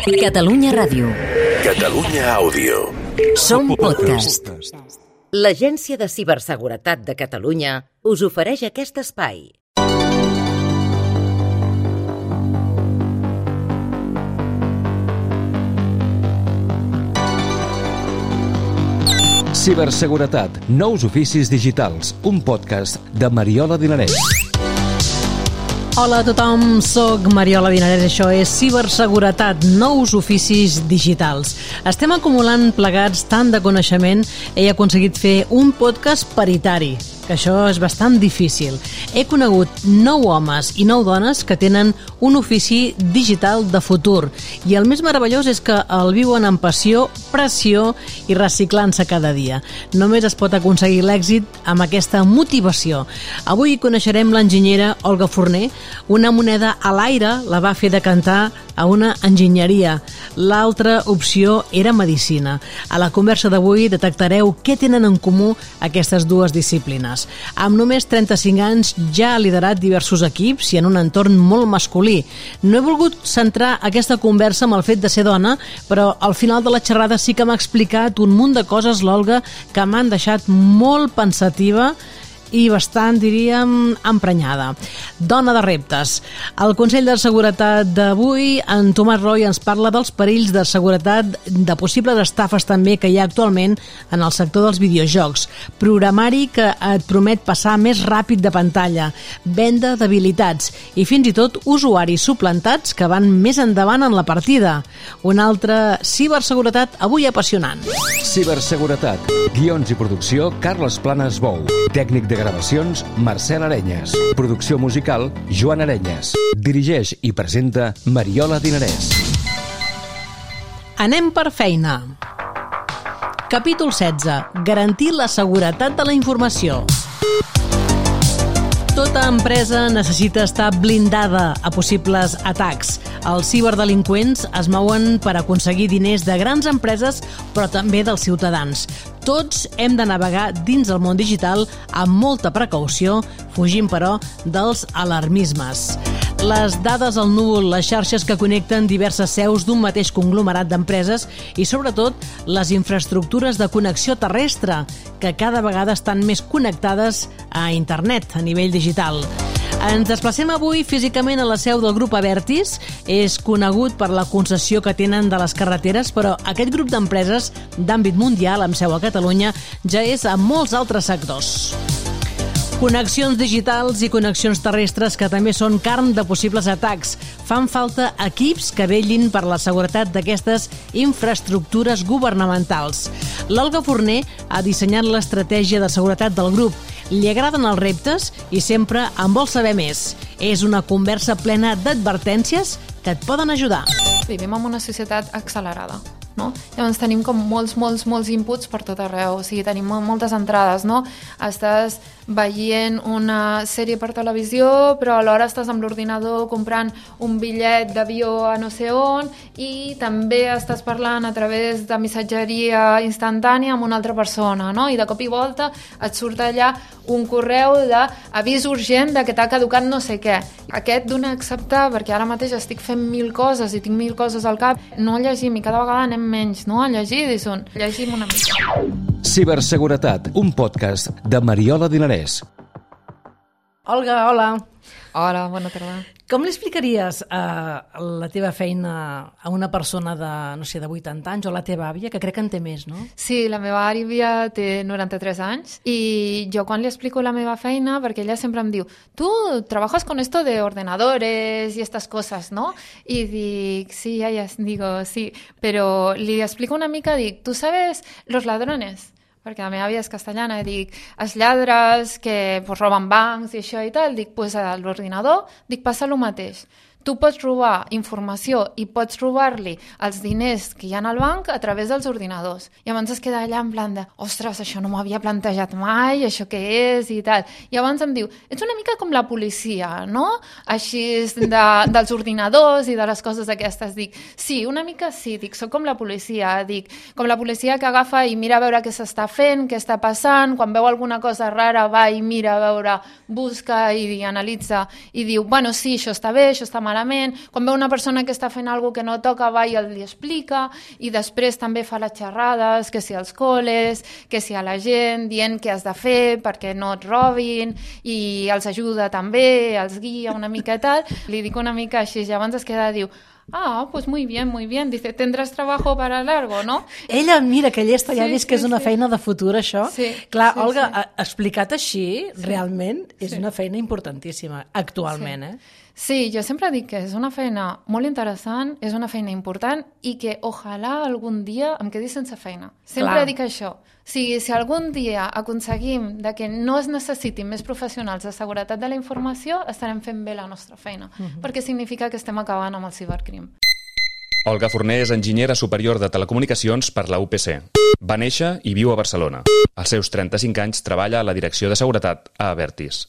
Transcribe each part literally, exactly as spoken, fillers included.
Catalunya Ràdio. Catalunya Àudio. Som podcast. L'Agència de Ciberseguretat de Catalunya us ofereix aquest espai. Ciberseguretat, nous oficis digitals, un podcast de Mariola Dinarès. Hola a tothom, soc Mariola Dinarès, això és Ciberseguretat, nous oficis digitals. Estem acumulant plegats tant de coneixement, he aconseguit fer un podcast paritari, que això és bastant difícil. He conegut nou homes i nou dones que tenen un ofici digital de futur i el més meravellós és que el viuen amb passió, pressió i reciclant-se cada dia. Només es pot aconseguir l'èxit amb aquesta motivació. Avui coneixerem l'enginyera Olga Forner. Una moneda a l'aire la va fer decantar a una enginyeria. L'altra opció era medicina. A la conversa d'avui detectareu què tenen en comú aquestes dues disciplines. Amb només trenta-cinc anys ja ha liderat diversos equips i en un entorn molt masculí. No he volgut centrar aquesta conversa amb el fet de ser dona, però al final de la xerrada sí que m'ha explicat un munt de coses, l'Olga, que m'han deixat molt pensativa i bastant, diríem, emprenyada. Dona de reptes. Al Consell de Seguretat d'avui, en Tomàs Roy ens parla dels perills de seguretat, de possibles estafes també que hi ha actualment en el sector dels videojocs. Programari que et promet passar més ràpid de pantalla, venda d'habilitats i fins i tot usuaris suplantats que van més endavant en la partida. Una altra ciberseguretat avui apassionant. Ciberseguretat, guions i producció, Carles Planes Bou. Tècnic de gravacions, Marcel Arenyes. Producció musical, Joan Arenyes. Dirigeix i presenta Mariola Dinarès. Anem per feina. Capítol setze. Garantir la seguretat de la informació. Tota empresa necessita estar blindada a possibles atacs. Els ciberdelinqüents es mouen per aconseguir diners de grans empreses, però també dels ciutadans. Tots hem de navegar dins el món digital amb molta precaució, fugint, però, dels alarmismes. Les dades al núvol, les xarxes que connecten diverses seus d'un mateix conglomerat d'empreses i, sobretot, les infraestructures de connexió terrestre, que cada vegada estan més connectades a internet a nivell digital. Ens desplacem avui físicament a la seu del grup Abertis. És conegut per la concessió que tenen de les carreteres, però aquest grup d'empreses d'àmbit mundial, amb seu a Catalunya, ja és a molts altres sectors. Connexions digitals i connexions terrestres que també són carn de possibles atacs. Fan falta equips que vetllin per la seguretat d'aquestes infraestructures governamentals. L'Olga Forner ha dissenyat l'estratègia de seguretat del grup. Li agraden els reptes i sempre en vol saber més. És una conversa plena d'advertències que et poden ajudar. Vivim en una societat accelerada, no? Llavors tenim com molts, molts, molts inputs per tot arreu, o sigui, tenim moltes entrades, no? Estàs veient una sèrie per televisió, però alhora estàs amb l'ordinador comprant un bitllet d'avió a no sé on i també estàs parlant a través de missatgeria instantània amb una altra persona, no? I de cop i volta et surt allà un correu d'avís urgent de que t'ha caducat no sé què. Aquest d'un acceptar, perquè ara mateix estic fent mil coses i tinc mil coses al cap, no llegim i cada vegada anem menys, no? A llegir, dissón, llegim una mica. Ciberseguretat, un podcast de Mariola Dinarès. Olga, hola. Hola, bona tarda. Com li explicaries eh, la teva feina a una persona de, no sé, de vuitanta anys o la teva àvia, que crec que en té més, no? Sí, la meva àvia té noranta-tres anys i jo quan li explico la meva feina, perquè ella sempre em diu tu trabajas con esto de ordenadores y estas cosas, ¿no? I dic, sí, ja, ja, digo, sí, però li explico una mica, dic, ¿tú sabes los ladrones? Perquè la meva àvia és castellana, i dic, els lladres que pues, roben bancs i això i tal, dic, pues a l'ordinador, dic, passa el mateix. Tu pots robar informació i pots robar-li els diners que hi ha al banc a través dels ordinadors. I llavors es queda allà en plan de, ostres, això no m'ho havia plantejat mai, això què és i tal. I llavors em diu, ets una mica com la policia, no? Així de, dels ordinadors i de les coses aquestes. Dic, sí, una mica sí, dic, soc com la policia, dic, com la policia que agafa i mira a veure què s'està fent, què està passant, quan veu alguna cosa rara va i mira a veure, busca i analitza i diu, bueno, sí, això està bé, això està malament, malament. Quan veu una persona que està fent alguna cosa que no toca, va i el li explica, i després també fa les xerrades, que si als col·les, que si a la gent, dient què has de fer perquè no et robin, i els ajuda també, els guia una mica i tal. Li dic una mica així, i llavors es queda, diu, ah, pues muy bien, muy bien. Dice, tendrás trabajo para largo, ¿no? Ella, mira, que llesta, ja Sí, ha vist que sí, és una sí. feina de futur, això. Sí, Clar, sí, Olga, sí. a- explicat així, Sí. realment, és Sí. una feina importantíssima, actualment, Sí. eh? Sí, jo sempre dic que és una feina molt interessant, és una feina important i que ojalà algun dia em quedi sense feina. Sempre Clar. dic això. O sigui, si algun dia aconseguim de que no es necessitin més professionals de seguretat de la informació, estarem fent bé la nostra feina, uh-huh. perquè significa que estem acabant amb el cibercrim. Olga Forner és enginyera superior de telecomunicacions per la U P C. Va néixer i viu a Barcelona. Als seus trenta-cinc anys treballa a la direcció de seguretat a Avertis.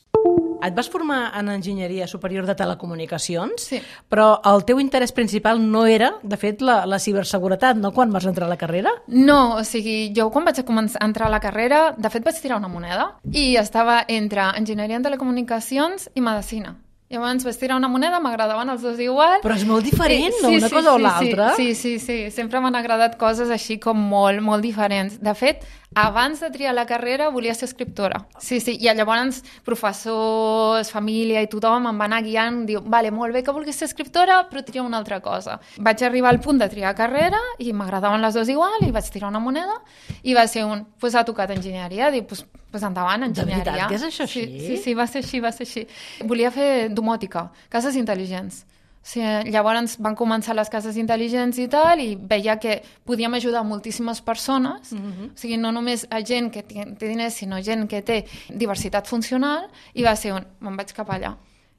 Et vas formar en enginyeria superior de telecomunicacions, Sí. però el teu interès principal no era, de fet, la, la ciberseguretat, no?, quan vas entrar a la carrera? No, o sigui, jo quan vaig començar a entrar a la carrera, de fet vaig tirar una moneda i estava entre enginyeria en telecomunicacions i medicina. Llavors vaig tirar una moneda, m'agradaven els dos igual. Però és molt diferent, Eh, no?, una cosa o l'altra. Sí, sí, sí, sempre m'han agradat coses així com molt, molt diferents. De fet, abans de triar la carrera volia ser escriptora. Sí, sí, i llavors professors, família i tothom em va anar guiant, diu, vale, molt bé que vulguis ser escriptora, però tria una altra cosa. Vaig arribar al punt de triar carrera i m'agradaven les dues igual i vaig tirar una moneda i va ser un, pues ha tocat enginyeria, dic, pues, pues endavant, enginyeria. De veritat que és això així? Sí, sí, sí, va ser així, va ser així. Volia fer domòtica, cases intel·ligents. Sí, llavors van començar les cases intel·ligents i tal, i veia que podíem ajudar moltíssimes persones, mm-hmm. o sigui, no només a gent que té, té diners, sinó gent que té diversitat funcional, i va ser on me'n vaig cap allà.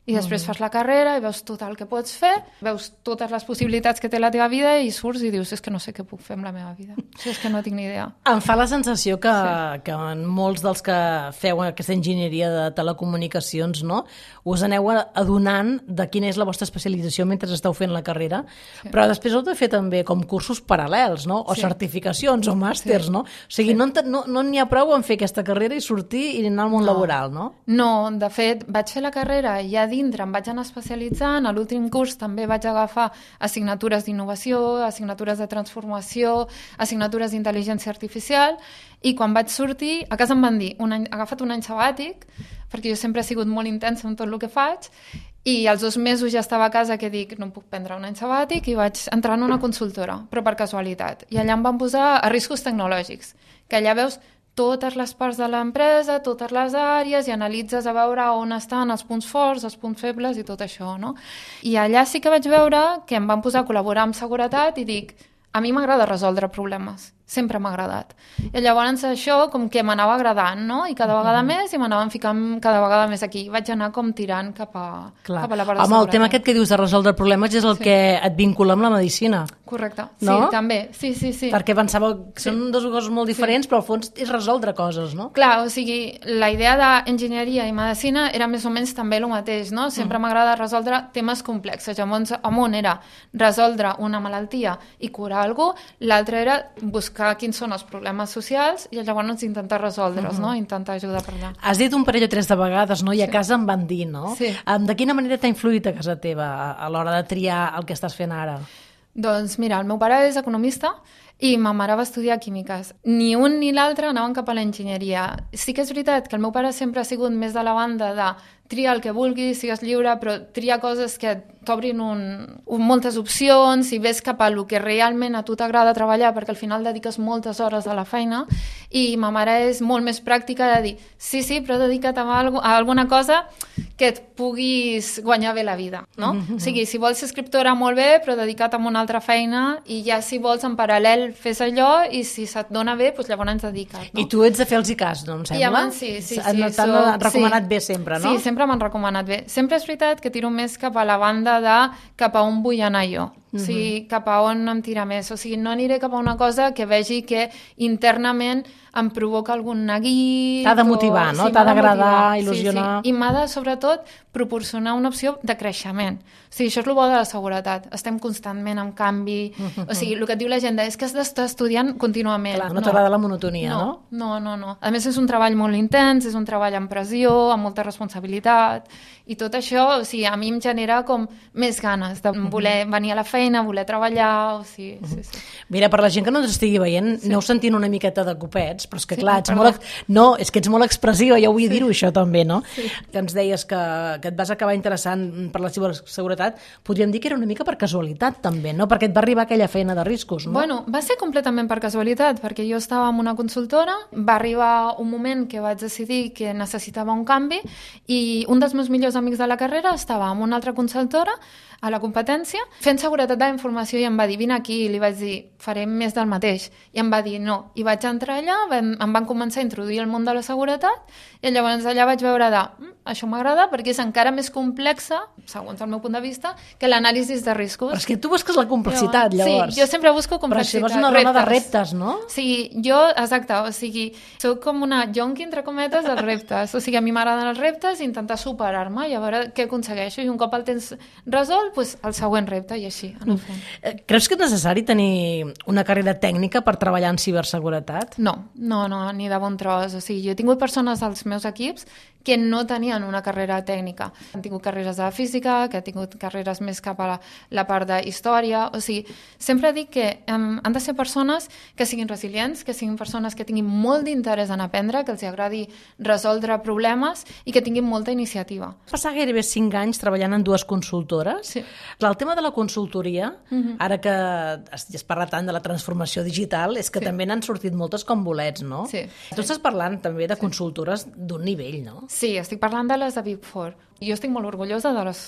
I després fas la carrera i veus tot el que pots fer, veus totes les possibilitats que té la teva vida i surts i dius, és que no sé què puc fer amb la meva vida. O sigui, és que no tinc ni idea. Em fa la sensació que, Sí. que en molts dels que feu aquesta enginyeria de telecomunicacions, no?, us aneu adonant de quina és la vostra especialització mentre esteu fent la carrera, sí. però després heu de fer també com cursos paral·lels, no?, o Sí. certificacions o màsters, Sí. no? O sigui, sí. no, no, no n'hi ha prou en fer aquesta carrera i sortir i anar al món No. laboral, no? No, de fet, vaig fer la carrera i ja dintre em vaig anar especialitzant. A l'últim curs també vaig agafar assignatures d'innovació, assignatures de transformació, assignatures d'intel·ligència artificial, i quan vaig sortir, a casa em van dir, un any, he agafat un any sabàtic, perquè jo sempre he sigut molt intensa en tot el que faig, i als dos mesos ja estava a casa que dic, no puc prendre un any sabàtic, i vaig entrar en una consultora, però per casualitat. I allà em van posar a riscos tecnològics, que allà veus totes les parts de l'empresa, totes les àrees, i analitzes a veure on estan els punts forts, els punts febles i tot això, no? I allà sí que vaig veure que em van posar a col·laborar amb seguretat i dic, a mi m'agrada resoldre problemes, sempre m'ha agradat. I llavors això com que m'anava agradant, no? I cada vegada més, i m'anaven ficant cada vegada més aquí. Vaig anar com tirant cap a, Clar. cap a la part de Home, seguretat. el tema aquest que dius de resoldre problemes és el Sí. que et vincula amb la medicina. Correcte, No? sí, també, sí, sí, sí. Perquè pensava que Sí. són dues coses molt diferents, però al fons és resoldre coses, no? Clar, o sigui, la idea d'enginyeria i medicina era més o menys també el mateix, no? Sempre mm. m'agrada resoldre temes complexos. Llavors, en un era resoldre una malaltia i curar algú, l'altre era buscar quins són els problemes socials i llavors intentar resoldre'ls, mm. no? Intentar ajudar per allà. Has dit un parell o tres de vegades, no? I a Sí. casa em van dir, no? Sí. Um, de quina manera t'ha influït a casa teva a, a l'hora de triar el que estàs fent ara? Doncs mira, el meu pare és economista i ma mare va estudiar químiques. Ni un ni l'altre anaven cap a l'enginyeria. Sí que és veritat que el meu pare sempre ha sigut més de la banda de tria el que vulguis, sigues lliure, però tria coses que t'obrin un, un, moltes opcions i ves cap a lo que realment a tu t'agrada treballar, perquè al final dediques moltes hores a la feina, i ma mare és molt més pràctica de dir, sí, sí, però dedica't a, algo, a alguna cosa que et puguis guanyar bé la vida, no? Mm-hmm. O sigui, si vols ser escriptora, molt bé, però dedica't a una altra feina, i ja si vols en paral·lel fes allò, i si se't dona bé, doncs llavors ens dedica't, no? I tu ets de fer els i cas, no em sembla? I abans sí, sí, sí. T'han soc- recomanat sí. bé sempre, no? Sí, sempre m'han recomanat bé. Sempre és veritat que tiro més cap a la banda de cap a on vull anar jo. O sigui, cap a on em tira més. O sigui, no aniré cap a una cosa que vegi que internament em provoca algun neguit... T'ha de motivar, no? T'ha d'agradar, il·lusionar... Sí, sí. I m'ha de, sobretot, proporcionar una opció de creixement. O sigui, això és el bo de la seguretat. Estem constantment en canvi... O sigui, el que et diu la gent és que has d'estar estudiant contínuament. Clar, no t'agrada la monotonia, no? No, no, no. A més, és un treball molt intens, és un treball amb pressió, amb molta responsabilitat, i tot això, o sigui, a mi em genera com més ganes de voler venir a la feina, voler treballar, o sigui... Sí, sí. Mira, per la gent que no ens estigui veient, aneu sentint una miqueta de copets, però és que clar, ets molt, no, és que ets molt expressiva, ja vull dir-ho això també, no? Que ens deies que, que et vas acabar interessant per la ciberseguretat, podríem dir que era una mica per casualitat també, no? Perquè et va arribar aquella feina de riscos, no? Bueno, va ser completament per casualitat, perquè jo estava en una consultora, va arribar un moment que vaig decidir que necessitava un canvi i un dels meus millors amics de la carrera estava en una altra consultora a la competència, fent seguretat de la informació, i em va dir, vine aquí, i li vaig dir, farem més del mateix, i em va dir no, i vaig entrar allà, vam, em van començar a introduir el món de la seguretat, i llavors allà vaig veure de, mm, això m'agrada perquè és encara més complexa, segons el meu punt de vista, que l'anàlisi de riscos. Però és que tu busques la complexitat, llavors. Sí, jo sempre busco complexitat. Però això és una dona de reptes, no? Sí, jo, exacte, o sigui, soc com una jonqui, entre cometes, dels reptes, o sigui, a mi m'agraden els reptes i intentar superar-me i a veure què aconsegueixo, i un cop el tens resolt, pues, el següent repte, i així anar fent. Creus que és necessari tenir una carrera tècnica per treballar en ciberseguretat? No, no, no, ni de bon tros. O sigui, jo he tingut persones als meus equips que no tenien una carrera tècnica. Han tingut carreres de física, que han tingut carreres més cap a la, la part de història. O sigui, sempre dic que um, han de ser persones que siguin resilients, que siguin persones que tinguin molt d'interès en aprendre, que els agradi resoldre problemes i que tinguin molta iniciativa. Passar gairebé cinc anys treballant en dues consultores. Sí. El tema de la consultoria, uh-huh. ara que es, es parla tant de la transformació digital, és que sí. també n'han sortit moltes com bolets, no? Sí. Tu estàs parlant també de consultores d'un nivell, no? Sí, estic parlant de les de Big Four. Jo estic molt orgullosa de les,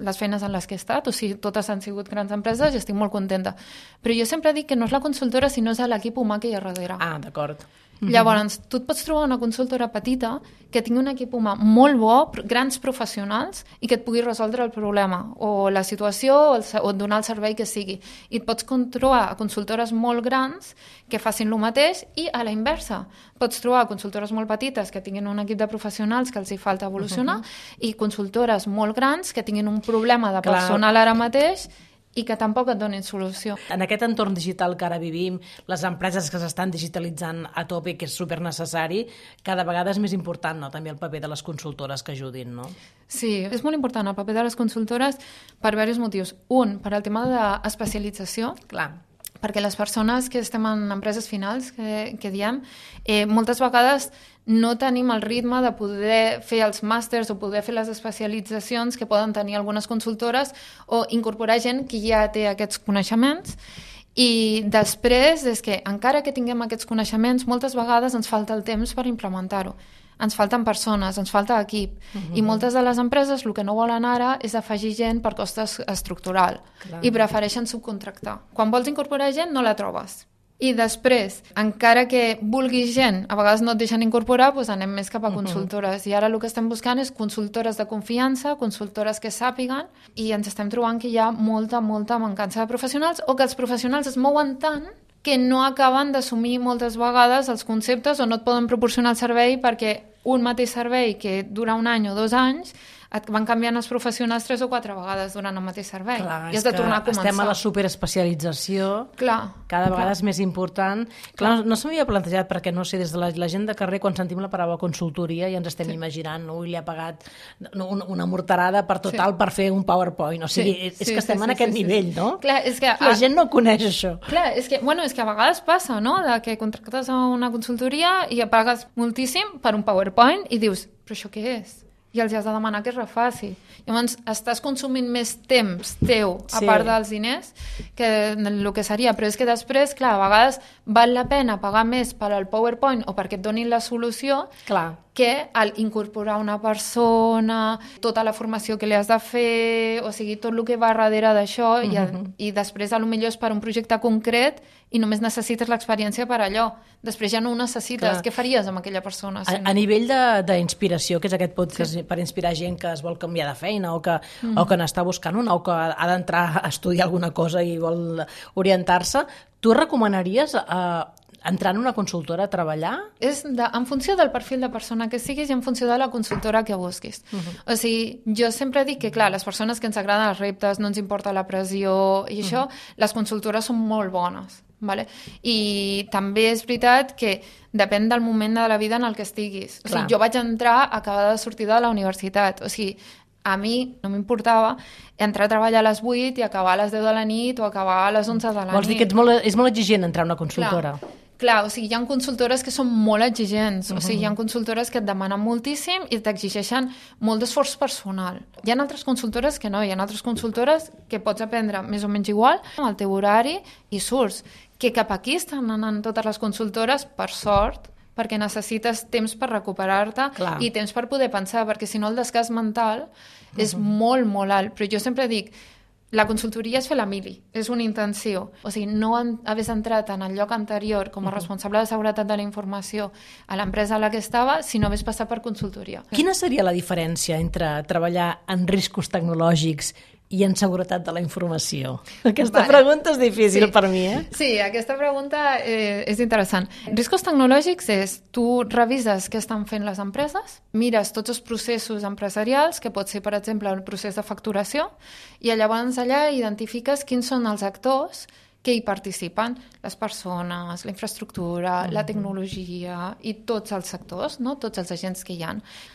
les feines en les que he estat, o sigui, totes han sigut grans empreses i estic molt contenta. Però jo sempre dic que no és la consultora, sinó és l'equip humà que hi ha darrere. Ah, d'acord. Llavors, tu et pots trobar una consultora petita que tingui un equip humà molt bo, grans professionals, i que et pugui resoldre el problema, o la situació, o, el, o donar el servei que sigui. I et pots trobar a consultores molt grans que facin el mateix, i a la inversa. Pots trobar consultores molt petites que tinguin un equip de professionals que els hi falta evolucionar, uh-huh. i consultores molt grans que tinguin un problema de Clar. personal ara mateix i que tampoc et donin solució. En aquest entorn digital que ara vivim, les empreses que s'estan digitalitzant a tope, que és supernecessari, cada vegada és més important, no?, també el paper de les consultores que ajudin, no? Sí, és molt important el paper de les consultores per diversos motius. Un, per al tema d'especialització. Clar. Perquè les persones que estem en empreses finals, que, que diem, eh, moltes vegades no tenim el ritme de poder fer els màsters o poder fer les especialitzacions que poden tenir algunes consultores, o incorporar gent que ja té aquests coneixements. I després és que, encara que tinguem aquests coneixements, moltes vegades ens falta el temps per implementar-ho. Ens falten persones, ens falta equip. Uh-huh. I moltes de les empreses el que no volen ara és afegir gent per cost estructural. Clar. I prefereixen subcontractar. Quan vols incorporar gent, no la trobes. I després, encara que vulguis gent, a vegades no et deixen incorporar, doncs anem més cap a consultores. Uh-huh. I ara el que estem buscant és consultores de confiança, consultores que sàpiguen, i ens estem trobant que hi ha molta, molta mancança de professionals, o que els professionals es mouen tant que no acaben d'assumir moltes vegades els conceptes, o no et poden proporcionar el servei, perquè un mateix servei que dura un any o dos anys et van canviant els professionals tres o quatre vegades durant el mateix servei. Clar, i has de tornar a començar. Estem a la superespecialització, clar, cada vegada clar. és més important. Clar, clar. No, no s'havia plantejat, perquè no sé, des de la, la gent de carrer, quan sentim la paraula consultoria, ja ens estem sí. imaginant, ui, li ha pagat una, una morterada per total sí. per fer un PowerPoint. O sigui, sí, és sí, que estem sí, en sí, aquest sí, nivell, sí. no? Clar, és que, la gent no coneix això. Clar, és que, bueno, és que a vegades passa, no?, de que contractes a una consultoria i pagues moltíssim per un PowerPoint i dius, però això què és? I els has de demanar que es refaci. Llavors, estàs consumint més temps teu, a sí. part dels diners, que el que seria. Però és que després, clar, a vegades val la pena pagar més per al PowerPoint o perquè et donin la solució, clar. que al incorporar una persona, tota la formació que li has de fer, o sigui, tot el que va darrere d'això, uh -huh. i, i després a lo millor és per un projecte concret i només necessites l'experiència per allò. Després ja no ho necessites. Clar. Què faries amb aquella persona? Si a, no? a nivell d'inspiració, que és aquest podcast sí. per inspirar gent que es vol canviar de feina o que, uh -huh. o que n'està buscant una o que ha d'entrar a estudiar alguna cosa i vol orientar-se, tu recomanaries eh, entrar en una consultora a treballar? És de, en funció del perfil de persona que siguis i en funció de la consultora que busquis. Uh-huh. O sigui, jo sempre dic que, clar, les persones que ens agraden els reptes, no ens importa la pressió i això, uh-huh. les consultores són molt bones. Vale? I també és veritat que depèn del moment de la vida en el que estiguis. O sigui, jo vaig entrar acabada de sortir de la universitat. O sigui, a mi no m'importava entrar a treballar a les vuit i acabar a les deu de la nit o acabar a les onze de la nit. Vols dir que ets molt, és molt exigent entrar a una consultora? Clar. Clar, o sigui, hi ha consultores que són molt exigents, uh-huh. o sigui, hi ha consultores que et demanen moltíssim i t'exigeixen molt d'esforç personal. Hi ha altres consultores que no, hi ha altres consultores que pots aprendre més o menys igual amb el teu horari i surts. Que cap aquí estan anant totes les consultores, per sort, perquè necessites temps per recuperar-te Clar. I temps per poder pensar, perquè si no el desgast mental uh-huh. és molt, molt alt. Però jo sempre dic, la consultoria és fer la mili, és una intenció. O sigui, no haver entrat en el lloc anterior com a responsable de seguretat de la informació a l'empresa a la que estava, si no hagués passat per consultoria. Quina seria la diferència entre treballar en riscos tecnològics i en seguretat de la informació? Aquesta vale. pregunta és difícil sí. per mi, eh? Sí, aquesta pregunta eh, és interessant. Riscos tecnològics és, tu revises què estan fent les empreses, mires tots els processos empresarials, que pot ser, per exemple, el procés de facturació, i llavors allà identifiques quins són els actors que hi participen, les persones, la infraestructura, mm-hmm. la tecnologia i tots els sectors, no? Tots els agents que hi ha.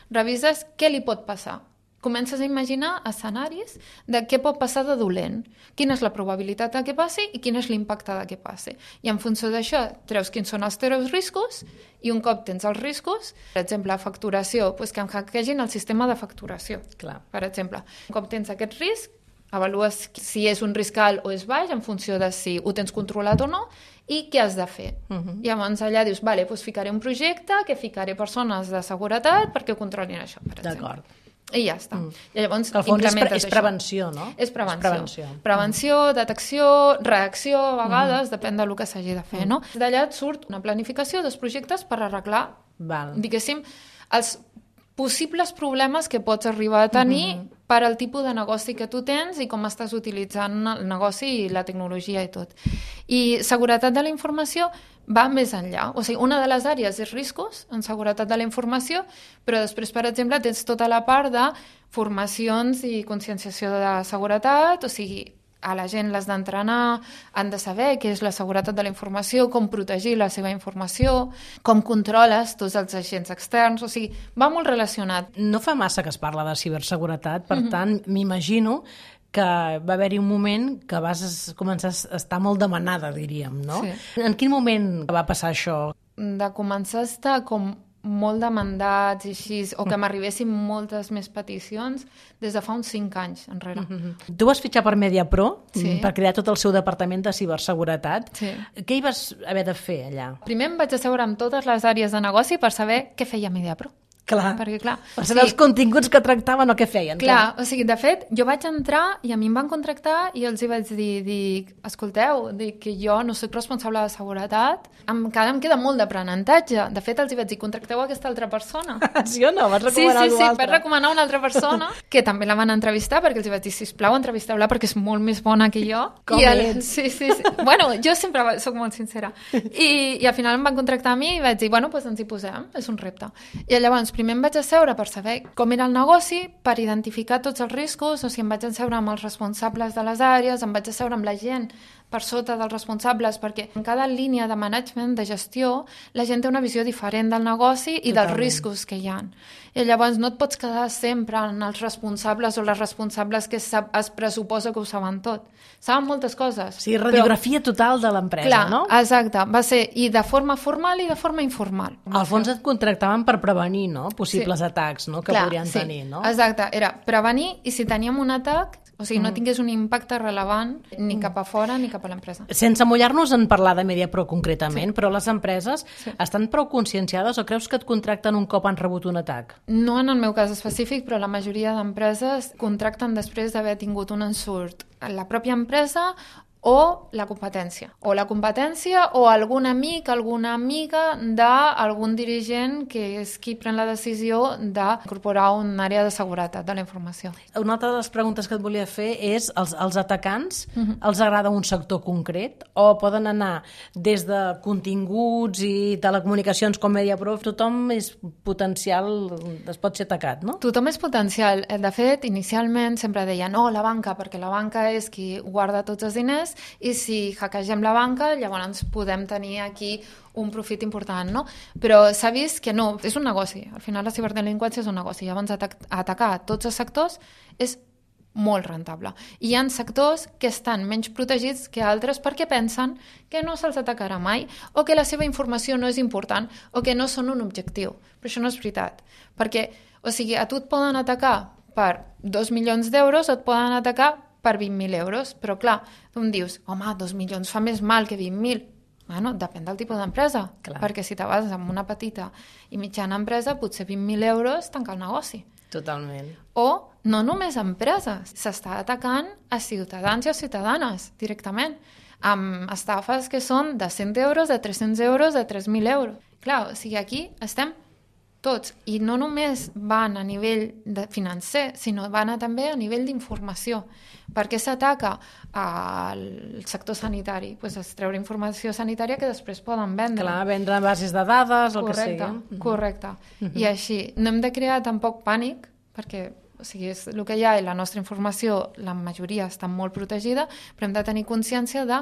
Revises què li pot passar. Comences a imaginar escenaris de què pot passar de dolent, quina és la probabilitat de que passi i quin és l'impacte de que passi. I en funció d'això treus quins són els teus riscos i un cop tens els riscos, per exemple, facturació, doncs que em hackegin el sistema de facturació, Clar. per exemple. Un cop tens aquest risc, avalues si és un risc alt o és baix en funció de si ho tens controlat o no i què has de fer. Uh-huh. I llavors allà dius, vale, doncs ficaré un projecte que ficaré persones de seguretat perquè controlin això, per exemple. D'acord. I ja està. Mm. I llavors que al fons és, pre és això. prevenció, no? És prevenció. És prevenció, prevenció mm. detecció, reacció, a vegades, mm. depèn del que s'hagi de fer, mm. no? D'allà et surt una planificació dels projectes per arreglar, Val. diguéssim, els possibles problemes que pots arribar a tenir mm-hmm. per al tipus de negoci que tu tens i com estàs utilitzant el negoci i la tecnologia i tot. I seguretat de la informació va més enllà. O sigui, una de les àrees és riscos en seguretat de la informació, però després, per exemple, tens tota la part de formacions i conscienciació de seguretat, o sigui, a la gent l'has d'entrenar, han de saber què és la seguretat de la informació, com protegir la seva informació, com controles tots els agents externs, o sigui, va molt relacionat. No fa massa que es parla de ciberseguretat, per mm-hmm. tant, m'imagino que va haver-hi un moment que vas començar a estar molt demanada, diríem, no? Sí. En quin moment va passar això? De començar a estar com molt demandats i així, o que m'arribessin moltes més peticions des de fa uns cinc anys enrere. Mm-hmm. Tu vas fitxar per MediaPro sí. per crear tot el seu departament de ciberseguretat. Sí. Què hi vas haver de fer allà? Primer em vaig asseure amb totes les àrees de negoci per saber què feia MediaPro. Clar, perquè, clar per saber sí. els continguts que tractaven o què feien. Clar, clar, o sigui, de fet, jo vaig entrar i a mi em van contractar i els hi vaig dir, dic, escolteu, dic que jo no soc responsable de seguretat, encara em queda molt d'aprenentatge. De fet, els hi vaig dir, contracteu aquesta altra persona. Sí o no? Vas recomanar sí, sí, algú sí, altre? vaig recomanar una altra persona que també la van entrevistar perquè els hi vaig dir, sisplau, entrevisteu-la perquè és molt més bona que jo. Com I el... ets? Sí, sí, sí. Bueno, jo sempre soc molt sincera. I, i al final em van contractar a mi i vaig dir, bueno, doncs ens hi posem, és un repte. I llavors, primer em vaig asseure per saber com era el negoci, per identificar tots els riscos, o sigui, em vaig asseure amb els responsables de les àrees, em vaig asseure amb la gent per sota dels responsables, perquè en cada línia de management, de gestió, la gent té una visió diferent del negoci i Totalment. dels riscos que hi ha. I llavors no et pots quedar sempre en els responsables o les responsables que es pressuposa que ho saben tot. Saben moltes coses. Sí, radiografia però... total de l'empresa, Clar, no? Exacte. Va ser i de forma formal i de forma informal. Al fons et contractaven per prevenir, no? Possibles sí. atacs, no? Que Clar, podrien sí. tenir, no? Exacte. Era prevenir i si teníem un atac, o o sigui, no tingués un impacte rellevant ni cap a fora ni cap a l'empresa. Sense mullar-nos en parlar de MediaPro concretament, Sí. però les empreses Sí. estan prou conscienciades o creus que et contracten un cop han rebut un atac? No en el meu cas específic, però la majoria d'empreses contracten després d'haver tingut un ensurt a la pròpia empresa o la competència. O la competència o algun amic, alguna amiga d'algun dirigent que és qui pren la decisió d'incorporar una àrea de seguretat de la informació. Una altra de les preguntes que et volia fer és els, els atacants, uh-huh. els agrada un sector concret o poden anar des de continguts i telecomunicacions com MediaPro, tothom és potencial, es pot ser atacat, no? Tothom és potencial. De fet, inicialment sempre deien no, la banca, perquè la banca és qui guarda tots els diners i si hackegem la banca, llavors podem tenir aquí un profit important, no? Però s'ha vist que no, és un negoci. Al final la ciberdelinqüència és un negoci. Llavors atac atacar tots els sectors és molt rentable. I hi ha sectors que estan menys protegits que altres perquè pensen que no se'ls atacarà mai o que la seva informació no és important o que no són un objectiu. Però això no és veritat. Perquè, o sigui, a tu et poden atacar per dos milions d'euros o et poden atacar per vint mil euros, però clar, tu em dius, home, dos milions fa més mal que vint mil. Bueno, depèn del tipus d'empresa, perquè si te vas amb una petita i mitjana empresa, potser vint mil euros tanca el negoci. Totalment. O no només empreses, s'està atacant a ciutadans i a ciutadanes directament, amb estafes que són de cent euros, de tres-cents euros, de tres mil euros. Clar, o sigui, aquí estem tots, i no només van a nivell de financer, sinó van a també a nivell d'informació. Per què s'ataca al sector sanitari? Pues es treure informació sanitària que després poden vendre. Clar, vendre bases de dades, el correcte, que sigui. Correcte, Uh-huh. I així. No hem de crear tampoc pànic, perquè o sigui, és el que hi ha i la nostra informació, la majoria està molt protegida, però hem de tenir consciència de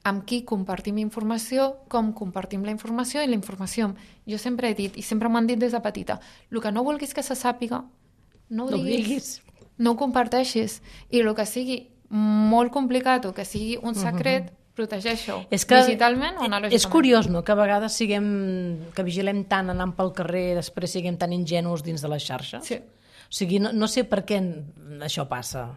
amb qui compartim informació, com compartim la informació i la informació. Jo sempre he dit, i sempre m'han dit des de petita, el que no vulguis que se sàpiga, no ho No ho diguis, diguis. no ho comparteixis. I el que sigui molt complicat o que sigui un secret, protegeix-ho. És que digitalment o analògicament. és curiós, no?, que a vegades siguem, que vigilem tant anant pel carrer i després siguem tan ingenus dins de les xarxes. Sí. O sigui, no, no sé per què això passa.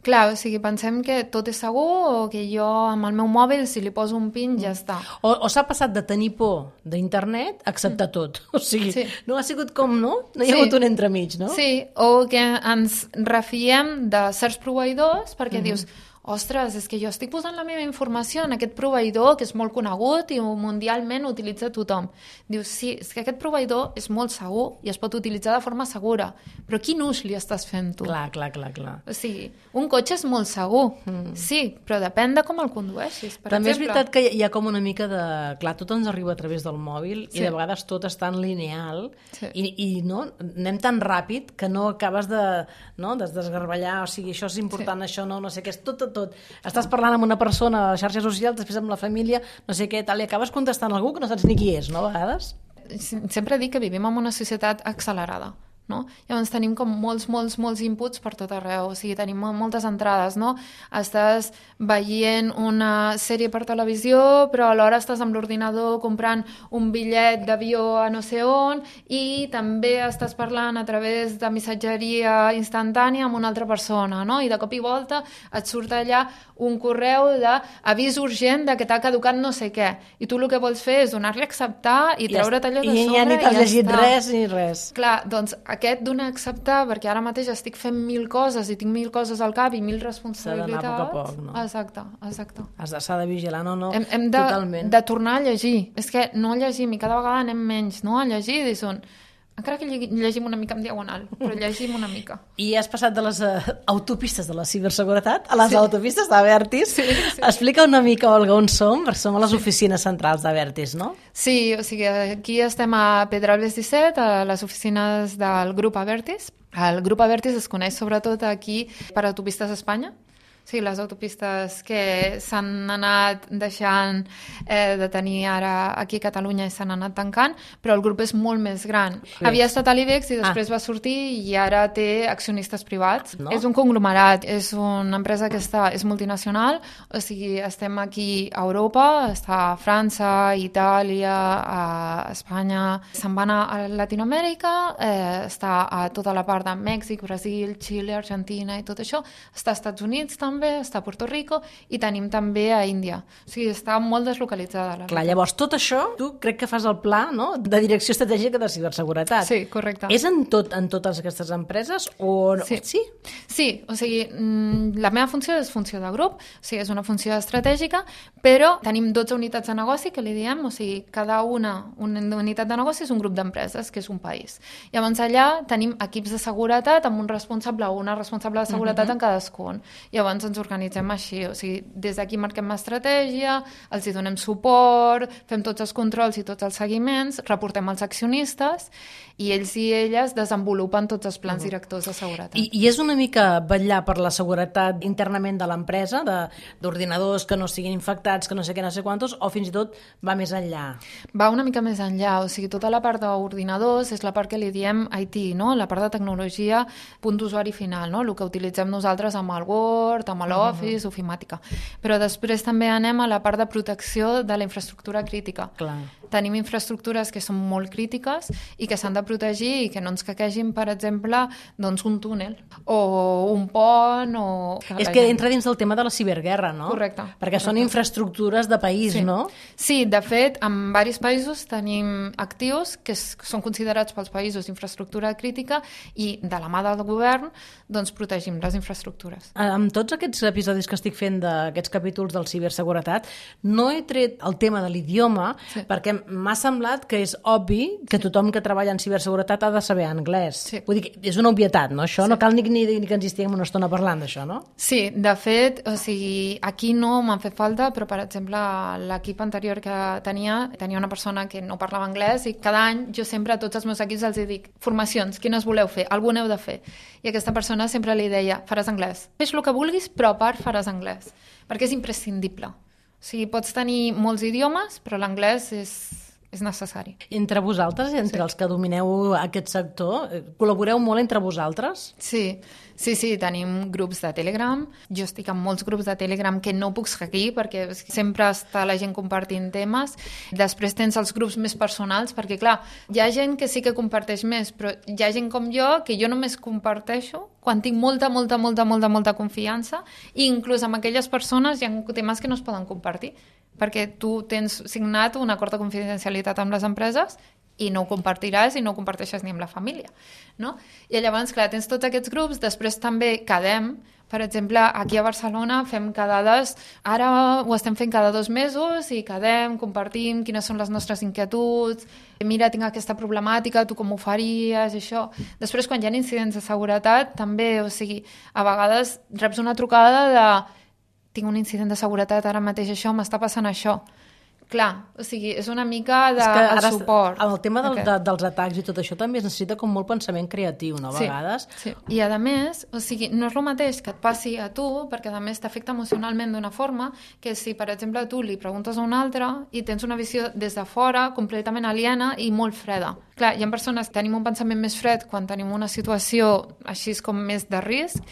Clar, o sigui, pensem que tot és segur o que jo amb el meu mòbil, si li poso un pin, ja està. O, o s'ha passat de tenir por d'internet a acceptar tot. O sigui, Sí. no ha sigut com, no? No hi ha Sí. hagut un entremig, no? Sí, o que ens refiem de certs proveïdors perquè dius, ostres, és que jo estic posant la meva informació en aquest proveïdor que és molt conegut i mundialment utilitza tothom. Dius, sí, és que aquest proveïdor és molt segur i es pot utilitzar de forma segura, però quin ús li estàs fent tu? Clar, clar, clar, clar. O sigui, un cotxe és molt segur, mm. sí, però depèn de com el condueixis. Per També exemple. és veritat que hi ha com una mica de... Clar, tot ens arriba a través del mòbil Sí. i de vegades tot és tan lineal Sí. i, i no, anem tan ràpid que no acabes de, no, de desgarballar, o sigui, això és important, Sí. això no, no sé què, és tot, tot, tot. Estàs parlant amb una persona a les xarxes socials, després amb la família, no sé què, tal, i acabes contestant a algú que no saps ni qui és, no, a vegades? Sempre dic que vivim en una societat accelerada, no? Llavors tenim com molts, molts, molts inputs per tot arreu, o sigui, tenim moltes entrades, no? Estàs veient una sèrie per televisió, però alhora estàs amb l'ordinador comprant un bitllet d'avió a no sé on i també estàs parlant a través de missatgeria instantània amb una altra persona, no? I de cop i volta et surt allà un correu d'avís urgent de que t'ha caducat no sé què, i tu el que vols fer és donar-li a acceptar i treure't allò de I sobre ja ni t'has i ja llegit està. res ni res. Clar, doncs aquest donar a acceptar, perquè ara mateix estic fent mil coses i tinc mil coses al cap i mil responsabilitats. S'ha d'anar a poc a poc, no? Exacte, exacte. Has de, s'ha de vigilar, no, no, Hem, hem de, totalment. de tornar a llegir. És que no llegim i cada vegada anem menys, no? A llegir, i són... Encara que llegim, llegim una mica en diagonal, però llegim una mica. I has passat de les uh, autopistes de la ciberseguretat a les Sí. autopistes d'Avertis. Sí, sí. Explica una mica, Olga, on som, perquè som a les oficines centrals d'Avertis, no? Sí, o sigui, aquí estem a Pedralbes disset, a les oficines del grup Avertis. El grup Avertis es coneix sobretot aquí per Autopistes Espanya. O sigui, les autopistes que s'han anat deixant eh, de tenir ara aquí a Catalunya i s'han anat tancant, però el grup és molt més gran. Sí. Havia estat a l'IBEX i després ah. va sortir i ara té accionistes privats. No? És un conglomerat, és una empresa que està, és multinacional, o sigui, estem aquí a Europa, està a França, a Itàlia, a Espanya, se'n va anar a Latinoamèrica, eh, està a tota la part de Mèxic, Brasil, Xile, Argentina i tot això, està als Estats Units també, està a Puerto Rico i tenim també a Índia. O sigui, està molt deslocalitzada. La Clar, llavors, tot això, tu crec que fas el pla, no?, de direcció estratègica de ciberseguretat. Sí, correcte. És en, tot, en totes aquestes empreses o no? Sí. Sí? Sí, o sigui, la meva funció és funció de grup, o sigui, és una funció estratègica, però tenim dotze unitats de negoci, que li diem, o sigui, cada una, una unitat de negoci és un grup d'empreses, que és un país. Llavors allà tenim equips de seguretat amb un responsable o una responsable de seguretat uh-huh. en cadascun. Llavors ens organitzem així, o sigui, des d'aquí marquem estratègia, els hi donem suport, fem tots els controls i tots els seguiments, reportem als accionistes i ells i elles desenvolupen tots els plans uh-huh. directors de seguretat. I, I és una mica vetllar per la seguretat internament de l'empresa, d'ordinadors que no siguin infectats, que no sé què, no sé quantos, o fins i tot va més enllà? Va una mica més enllà, o sigui, tota la part d'ordinadors és la part que li diem I T, no? La part de tecnologia, punt d'usuari final, no? El que utilitzem nosaltres amb el Word, amb l'Office, uh-huh. ofimàtica. Però després també anem a la part de protecció de la infraestructura crítica. Clar. Tenim infraestructures que són molt crítiques i que s'han de protegir i que no ens caquegin, per exemple, doncs un túnel o un pont o... És que entra dins del tema de la ciberguerra, no? Correcte. Perquè correcte. Són infraestructures de país, sí. no? Sí, de fet, en diversos països tenim actius que són considerats pels països d'infraestructura crítica i de la mà del govern doncs protegim les infraestructures. Amb tots aquests episodis que estic fent d'aquests capítols del ciberseguretat, no he tret el tema de l'idioma sí. perquè m'ha semblat que és obvi que tothom que treballa en ciberseguretat ha de saber anglès. Sí. Vull dir que és una obvietat, no? Això sí. no cal ni, ni, ni que ens hi estiguem una estona parlant d'això, no? Sí, de fet, o sigui, aquí no m'han fet falta, però per exemple l'equip anterior que tenia, tenia una persona que no parlava anglès i cada any jo sempre a tots els meus equips els dic formacions, quines voleu fer? Alguna heu de fer. I aquesta persona sempre li deia, faràs anglès. Fes el que vulguis, però a part faràs anglès, perquè és imprescindible. O sigui, pots tenir molts idiomes, però l'anglès és, és necessari. Entre vosaltres, entre sí. els que domineu aquest sector, col·laboreu molt entre vosaltres? Sí, sí, sí, tenim grups de Telegram. Jo estic en molts grups de Telegram que no puc seguir perquè sempre està la gent compartint temes. Després tens els grups més personals perquè, clar, hi ha gent que sí que comparteix més, però hi ha gent com jo que jo només comparteixo quan tinc molta, molta, molta, molta, molta confiança i inclús amb aquelles persones hi ha temes que no es poden compartir perquè tu tens signat un acord de confidencialitat amb les empreses i no ho compartiràs i no ho comparteixes ni amb la família, no? I llavors, clar, tens tots aquests grups, després també quedem, per exemple, aquí a Barcelona fem quedades, ara ho estem fent cada dos mesos i quedem, compartim quines són les nostres inquietuds, mira, tinc aquesta problemàtica, tu com ho faries, això. Després, quan hi ha incidents de seguretat, també, o sigui, a vegades reps una trucada de tinc un incident de seguretat ara mateix, això, m'està passant això. Clar, o sigui, és una mica de el suport. Amb el tema del, de, dels atacs i tot això també es necessita com molt pensament creatiu, no? A sí, vegades. Sí. I a més, o sigui, no és el mateix que et passi a tu, perquè a més t'afecta emocionalment d'una forma que si, per exemple, tu li preguntes a un altre i tens una visió des de fora completament aliena i molt freda. Clar, hi ha persones que tenim un pensament més fred quan tenim una situació així com més de risc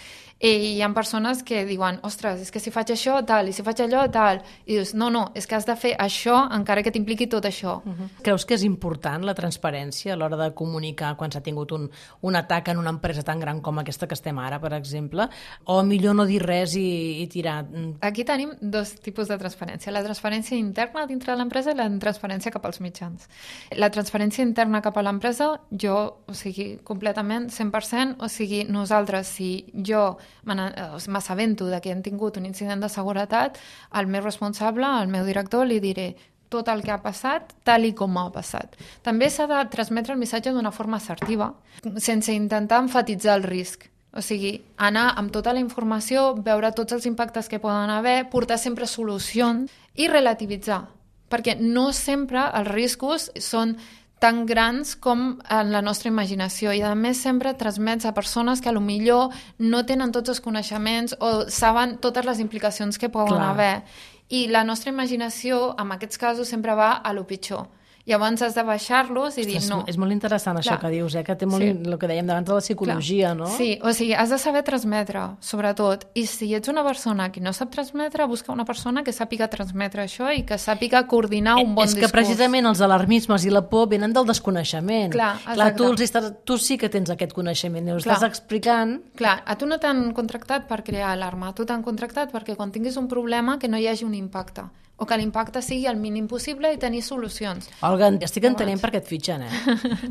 i hi ha persones que diuen, ostres, és que si faig això, tal, i si faig allò, tal. I dius, no, no, és que has de fer això encara que t'impliqui tot això. Uh-huh. Creus que és important la transparència a l'hora de comunicar quan s'ha tingut un, un atac en una empresa tan gran com aquesta que estem ara, per exemple? O millor no dir res i, i tirar? Aquí tenim dos tipus de transparència. La transparència interna dintre de l'empresa i la transparència cap als mitjans. La transparència interna cap a l'empresa, jo, o sigui, completament, cent per cent, o sigui, nosaltres, si jo m'assabento que hem tingut un incident de seguretat, al meu responsable, al meu director, li diré tot el que ha passat, tal i com ha passat. També s'ha de transmetre el missatge d'una forma assertiva, sense intentar enfatitzar el risc. O sigui, anar amb tota la informació, veure tots els impactes que poden haver, portar sempre solucions i relativitzar, perquè no sempre els riscos són tan grans com en la nostra imaginació, i a més sempre transmets a persones que a lo millor no tenen tots els coneixements o saben totes les implicacions que poden Clar. haver, i la nostra imaginació en aquests casos sempre va a lo pitjor. Llavors has de baixar-los i dir Ostres, no. És molt interessant això Clar. que dius, eh? Que té molt, Sí. el que dèiem abans de la psicologia, Clar. no? Sí, o sigui, has de saber transmetre, sobretot. I si ets una persona que no sap transmetre, busca una persona que sàpiga transmetre això i que sàpiga coordinar un bon és discurs. que precisament els alarmismes i la por venen del desconeixement. Clar, Clar, exacte. tu, els estàs, tu sí que tens aquest coneixement, i ho Clar. estàs explicant. Clar, a tu no t'han contractat per crear alarma, a tu t'han contractat perquè quan tinguis un problema que no hi hagi un impacte, o que l'impacte sigui el mínim possible i tenir solucions. Olga, estic entenent per què et fitxen, eh?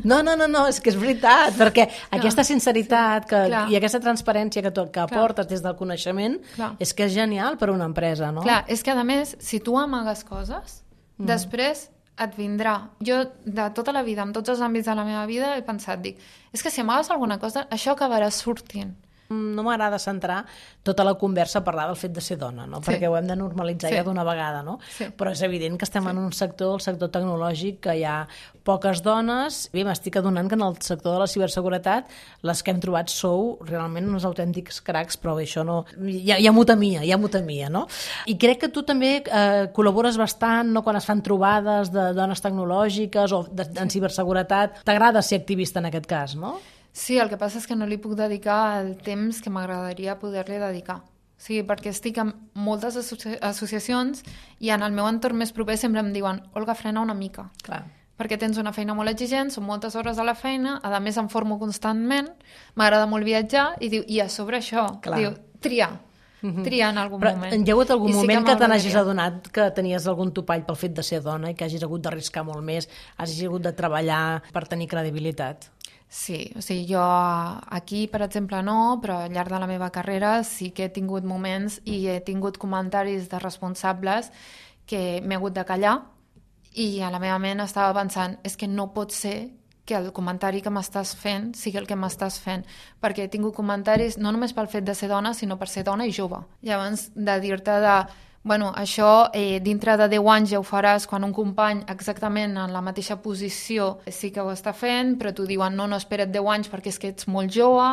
No, no, no, no, és que és veritat, perquè aquesta sinceritat que, Clar. i aquesta transparència que, tu, que aportes des del coneixement Clar. és que és genial per a una empresa, no? Clar, és que a més, si tu amagues coses, mm. després et vindrà. Jo, de tota la vida, en tots els àmbits de la meva vida, he pensat, dic, és que si amagues alguna cosa, això acabarà sortint. No m'agrada centrar tota la conversa a parlar del fet de ser dona, no? Sí. Perquè ho hem de normalitzar Sí. ja d'una vegada, no? Sí. Però és evident que estem sí. en un sector, el sector tecnològic, que hi ha poques dones. Bé, m'estic adonant que en el sector de la ciberseguretat les que hem trobat sou realment uns autèntics cracs, però bé, això no... Ja, ja m'ho temia, ja m'ho temia, no? I crec que tu també eh, col·labores bastant, no?, quan es fan trobades de dones tecnològiques o de, en ciberseguretat. T'agrada ser activista en aquest cas, no? Sí, el que passa és que no li puc dedicar el temps que m'agradaria poder-li dedicar. O sigui, perquè estic en moltes associ associacions i en el meu entorn més proper sempre em diuen Olga, frena una mica. Clar. Perquè tens una feina molt exigent, són moltes hores a la feina, a més em formo constantment, m'agrada molt viatjar, i diu, i a sobre això, Clar. diu, tria, tria en algun Però moment. hi ha hagut algun I sí moment que, que te n'hagis m'agradaria. adonat que tenies algun topall pel fet de ser dona i que hagis hagut d'arriscar molt més, hagis hagut de treballar per tenir credibilitat? Sí, o sigui, jo aquí, per exemple, no, però al llarg de la meva carrera sí que he tingut moments i he tingut comentaris de responsables que m'he hagut de callar i a la meva ment estava pensant és que no pot ser que el comentari que m'estàs fent sigui el que m'estàs fent, perquè he tingut comentaris no només pel fet de ser dona, sinó per ser dona i jove. Llavors, de dir-te de bueno, això eh, dintre de deu anys ja ho faràs quan un company exactament en la mateixa posició sí que ho està fent, però t'ho diuen no, no, espera't deu anys perquè és que ets molt jove,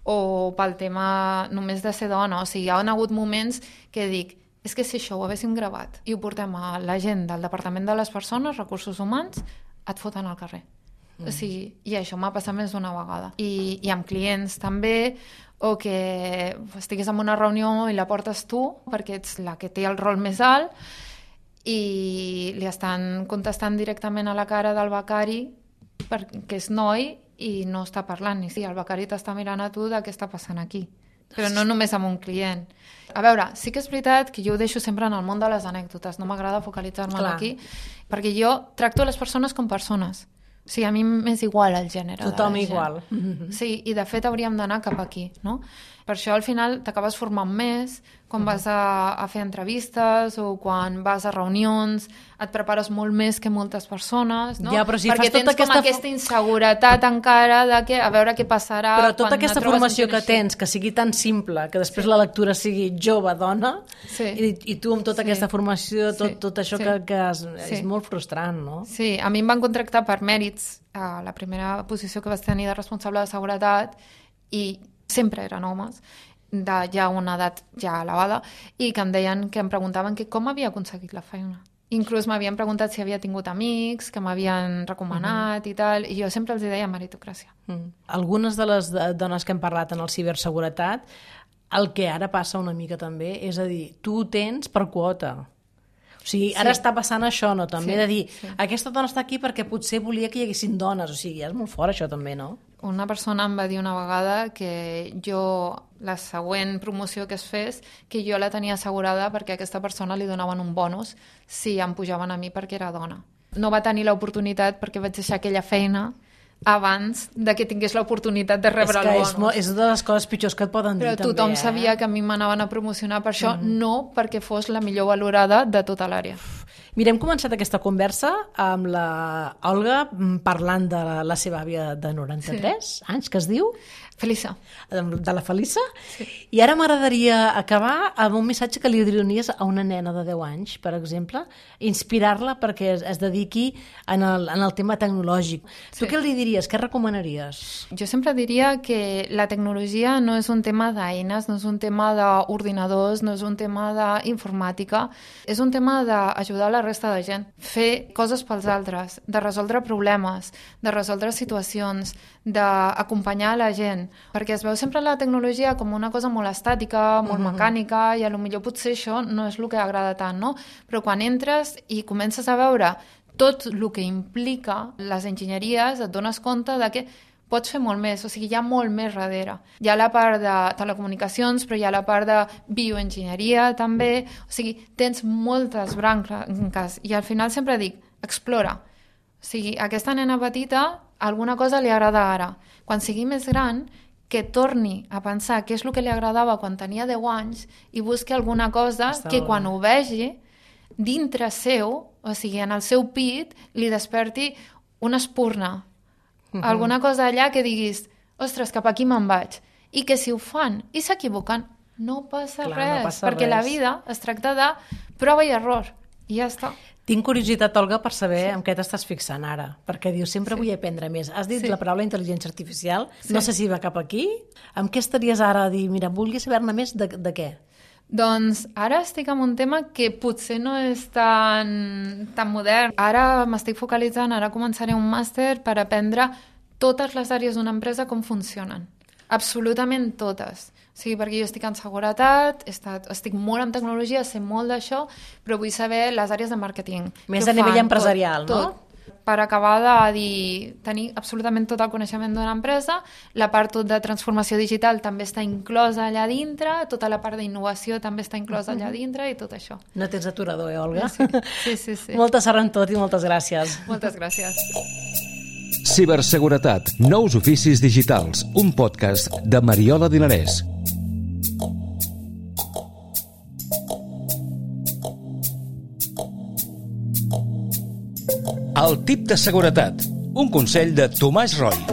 o pel tema només de ser dona. O sigui, hi ha hagut moments que dic és que si això ho haguéssim gravat i ho portem a la gent del Departament de les Persones, Recursos Humans, et foten al carrer. Mm. O sigui, i això m'ha passat més d'una vegada. I, i amb clients també, o que estigués en una reunió i la portes tu, perquè ets la que té el rol més alt, i li estan contestant directament a la cara del becari, perquè és noi, i no està parlant. I sí, el becari t'està mirant a tu de què està passant aquí. Però no només amb un client. A veure, sí que és veritat que jo ho deixo sempre en el món de les anècdotes, no m'agrada focalitzar-me aquí, perquè jo tracto les persones com persones. O sigui, a mi m'és igual el gènere Tothom de la gent. igual. Sí, i de fet hauríem d'anar cap aquí, no? Per això al final t'acabes formant més, quan vas a, a fer entrevistes o quan vas a reunions, et prepares molt més que moltes persones, no? Ja, però si perquè fas tota tens aquesta... com aquesta inseguretat encara de que, a veure què passarà Però tota quan aquesta et trobes formació amb que gent així. tens, que sigui tan simple, que després Sí. la lectura sigui jove, dona, Sí. i, i tu amb tota Sí. aquesta formació, tot, Sí. tot això Sí. que, que és, Sí. és molt frustrant, no? Sí, a mi em van contractar per mèrits a la primera posició que vaig tenir de responsable de seguretat i sempre eren homes de ja una edat ja elevada i que em deien, que em preguntaven que com havia aconseguit la feina. Inclús m'havien preguntat si havia tingut amics que m'havien recomanat uh -huh. i tal, i jo sempre els deia meritocràcia. Mm. Algunes de les de- dones que hem parlat en el ciberseguretat, el que ara passa una mica també, és a dir, tu ho tens per quota. O sigui, ara Sí. està passant això, no? També Sí, de dir, sí. aquesta dona està aquí perquè potser volia que hi haguessin dones. O sigui, és molt fort això també, no? Una persona em va dir una vegada que jo, la següent promoció que es fes, que jo la tenia assegurada perquè a aquesta persona li donaven un bonus si em pujaven a mi perquè era dona. No va tenir l'oportunitat perquè vaig deixar aquella feina abans de que tingués l'oportunitat de rebre és que el és, bonus. mo- és de les coses pitjors que et poden Però dir, també, tothom eh? sabia que a mi m'anaven a promocionar per això, mm. no perquè fos la millor valorada de tota l'àrea. Mira, hem començat aquesta conversa amb la Olga parlant de la seva àvia de noranta-tres sí. anys, que es diu? Felissa. De la Felissa. Sí. I ara m'agradaria acabar amb un missatge que li diriries a una nena de deu anys, per exemple, inspirar-la perquè es, es dediqui en el, en el tema tecnològic. Sí. Tu què li diries? Què recomanaries? Jo sempre diria que la tecnologia no és un tema d'eines, no és un tema d'ordinadors, no és un tema d'informàtica, és un tema d'ajudar la resta de gent, fer coses pels altres, de resoldre problemes, de resoldre situacions, d'acompanyar la gent, perquè es veu sempre la tecnologia com una cosa molt estàtica, molt uh-huh. mecànica, i a lo millor potser això no és el que agrada tant, no? Però quan entres i comences a veure tot el que implica les enginyeries, et dones compte de que pots fer molt més, o sigui, hi ha molt més darrere. Hi ha la part de telecomunicacions, però hi ha la part de bioenginyeria també, o sigui, tens moltes branques, i al final sempre dic, explora. O sigui, aquesta nena petita alguna cosa li agrada ara. Quan sigui més gran, que torni a pensar què és el que li agradava quan tenia deu anys i busqui alguna cosa Està que quan ho vegi dintre seu, o sigui, en el seu pit, li desperti una espurna. Uh-huh. Alguna cosa allà que diguis, ostres, cap aquí me'n vaig. I que si ho fan i s'equivoquen, no passa Clar, res, no passa perquè res. La vida es tracta de prova i error. I ja està. Tinc curiositat, Olga, per saber sí. en què t'estàs fixant ara, perquè dius, sempre sí. vull aprendre més. Has dit sí. la paraula intel·ligència artificial, sí. no sé si va cap aquí. Amb què estaries ara a dir, mira, volia saber-ne més de, de què? Doncs ara estic en un tema que potser no és tan, tan modern. Ara m'estic focalitzant, ara començaré un màster per aprendre totes les àrees d'una empresa com funcionen. Absolutament totes. O sigui, perquè jo estic en seguretat, he estat, estic molt en tecnologia, sé molt d'això, però vull saber les àrees de màrqueting. Més a nivell empresarial, tot, no? Tot, per acabar de dir, tenir absolutament tot el coneixement d'una empresa, la part tot de transformació digital també està inclosa allà dintre, tota la part d'innovació també està inclosa allà dintre i tot això. No tens aturador, eh, Olga? Sí, sí, sí. sí. Molta sort en tot i moltes gràcies. Moltes gràcies. Ciberseguretat, nous oficis digitals, un podcast de Mariola Dinarès. El tip de seguretat, un consell de Tomàs Roy.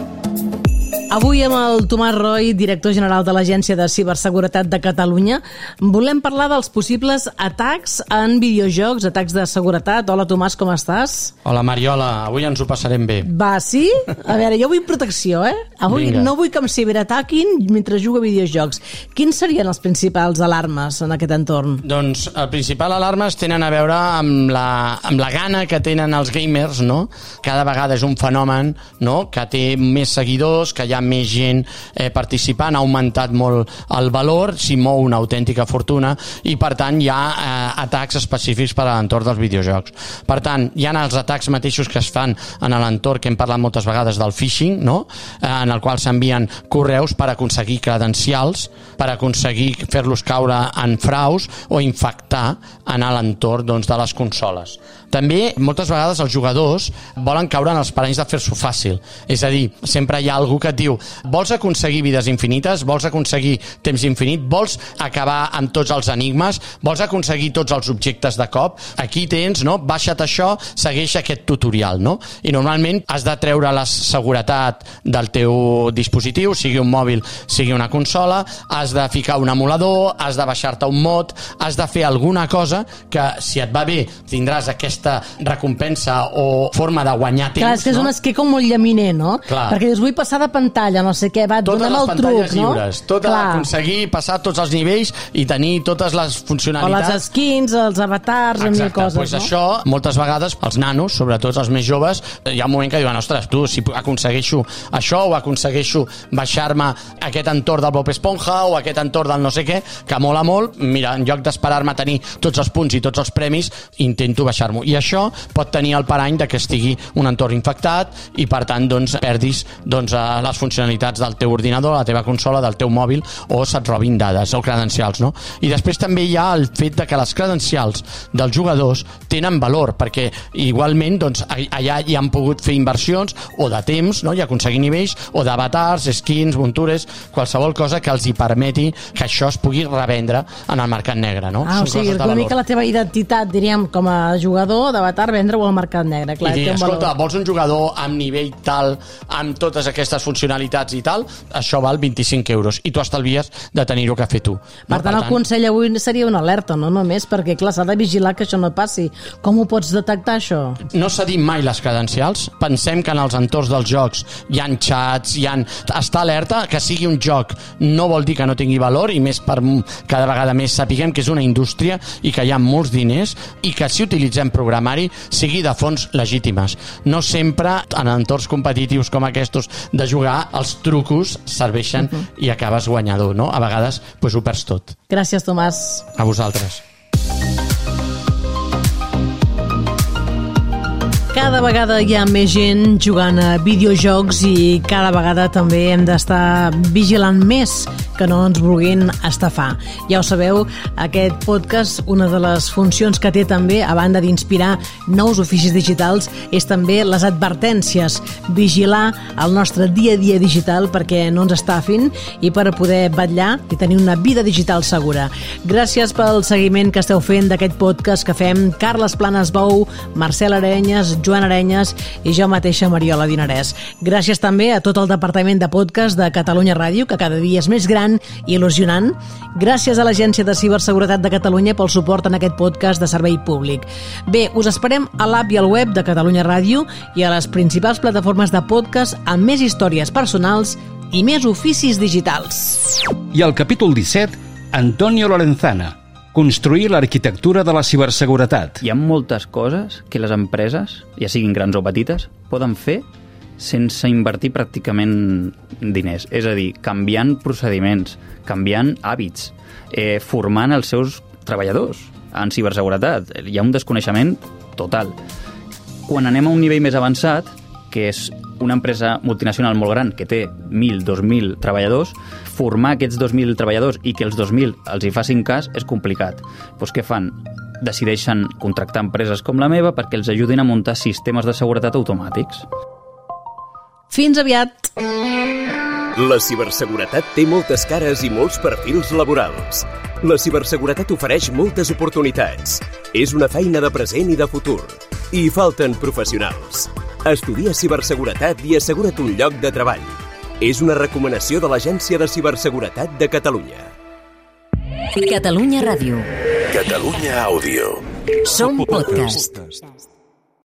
Avui amb el Tomàs Roy, director general de l'Agència de Ciberseguretat de Catalunya, volem parlar dels possibles atacs en videojocs, atacs de seguretat. Hola, Tomàs, com estàs? Hola, Mariola, avui ens ho passarem bé. Va, sí? A veure, jo vull protecció, eh? Avui Vinga. No vull que em ciberataquin mentre jugo a videojocs. Quins serien els principals alarmes en aquest entorn? Doncs el principal alarmes tenen a veure amb la, amb la gana que tenen els gamers, no? Cada vegada és un fenomen, no?, que té més seguidors, que hi ha més gent eh, participant, ha augmentat molt el valor, s'hi mou una autèntica fortuna i per tant hi ha eh, atacs específics per a l'entorn dels videojocs. Per tant, hi ha els atacs mateixos que es fan en l'entorn que hem parlat moltes vegades del phishing, no? eh, en el qual s'envien correus per aconseguir credencials, per aconseguir fer-los caure en fraus o infectar en l'entorn doncs, de les consoles. També, moltes vegades, els jugadors volen caure en els paranys de fer-s'ho fàcil. És a dir, sempre hi ha algú que et diu vols aconseguir vides infinites, vols aconseguir temps infinit, vols acabar amb tots els enigmes, vols aconseguir tots els objectes de cop, aquí tens, no? Baixa't això, segueix aquest tutorial, no? I normalment has de treure la seguretat del teu dispositiu, sigui un mòbil, sigui una consola, has de ficar un emulador, has de baixar-te un mod, has de fer alguna cosa que, si et va bé, tindràs aquesta recompensa o forma de guanyar temps. Clar, és que és no? un esquí com molt llaminer, no? Clar. Perquè dius, vull passar de pantalla, no sé què, va, donem el truc, no? Totes les pantalles lliures, tot aconseguir passar tots els nivells i tenir totes les funcionalitats. O les skins, els avatars, Exacte, mil coses, pues no? Això, moltes vegades, els nanos, sobretot els més joves, hi ha un moment que diuen, ostres, tu, si aconsegueixo això o aconsegueixo baixar-me aquest entorn del Bob Esponja o aquest entorn del no sé què, que mola molt, mira, en lloc d'esperar-me a tenir tots els punts i tots els premis, intento baixar-m'ho. I això pot tenir el parany de que estigui un entorn infectat i, per tant, doncs, perdis doncs, les funcionalitats del teu ordinador, la teva consola, del teu mòbil, o se't robin dades o credencials, no? I després també hi ha el fet de que les credencials dels jugadors tenen valor, perquè igualment doncs, allà hi han pogut fer inversions o de temps, no? I aconseguir nivells, o d'avatars, skins, muntures, qualsevol cosa que els hi permeti que això es pugui revendre en el mercat negre, no? Ah, o sigui, una mica la teva identitat, diríem, com a jugador d'avatar, vendre-ho al mercat negre. Clar, i dir, escolta, vols un jugador amb nivell tal, amb totes aquestes funcionalitats i tal, això val vint-i-cinc euros, i tu estalvies de tenir-ho que fer tu. Per tant, el consell avui seria una alerta, no només, perquè clar, s'ha de vigilar que això no passi. Com ho pots detectar, això? No cedim mai les credencials. Pensem que en els entorns dels jocs hi ha xats, hi ha... Està alerta, que sigui un joc no vol dir que no tingui valor, i més per cada vegada més sapiguem que és una indústria i que hi ha molts diners, i que si utilitzem programari sigui de fonts legítimes. No sempre en entorns competitius com aquests de jugar, els trucos serveixen uh-huh. i acabes guanyador, no? A vegades pues, ho perds tot. Gràcies, Tomàs. A vosaltres. Cada vegada hi ha més gent jugant a videojocs i cada vegada també hem d'estar vigilant més que no ens vulguin estafar. Ja ho sabeu, aquest podcast, una de les funcions que té també, a banda d'inspirar nous oficis digitals, és també les advertències, vigilar el nostre dia a dia digital perquè no ens estafin i per poder vetllar i tenir una vida digital segura. Gràcies pel seguiment que esteu fent d'aquest podcast que fem Carles Planes Bou, Marcel Arenyes, Joan Arenyes i jo mateixa, Mariola Dinarès. Gràcies també a tot el departament de podcast de Catalunya Ràdio, que cada dia és més gran i il·lusionant. Gràcies a l'Agència de Ciberseguretat de Catalunya pel suport en aquest podcast de servei públic. Bé, us esperem a l'app i al web de Catalunya Ràdio i a les principals plataformes de podcast amb més històries personals i més oficis digitals. I al capítol disset, Antonio Lorenzana, construir l'arquitectura de la ciberseguretat. Hi ha moltes coses que les empreses, ja siguin grans o petites, poden fer sense invertir pràcticament diners. És a dir, canviant procediments, canviant hàbits, eh, formant els seus treballadors en ciberseguretat. Hi ha un desconeixement total. Quan anem a un nivell més avançat, que és una empresa multinacional molt gran que té mil, dos mil treballadors, formar aquests dos mil treballadors i que els dos mil els hi facin cas és complicat. Doncs què fan? Decideixen contractar empreses com la meva perquè els ajudin a muntar sistemes de seguretat automàtics. Fins aviat! La ciberseguretat té moltes cares i molts perfils laborals. La ciberseguretat ofereix moltes oportunitats. És una feina de present i de futur. I hi falten professionals. Estudia ciberseguretat i assegura't un lloc de treball. És una recomanació de l'Agència de Ciberseguretat de Catalunya. Catalunya Ràdio. Catalunya Àudio. Som podcast.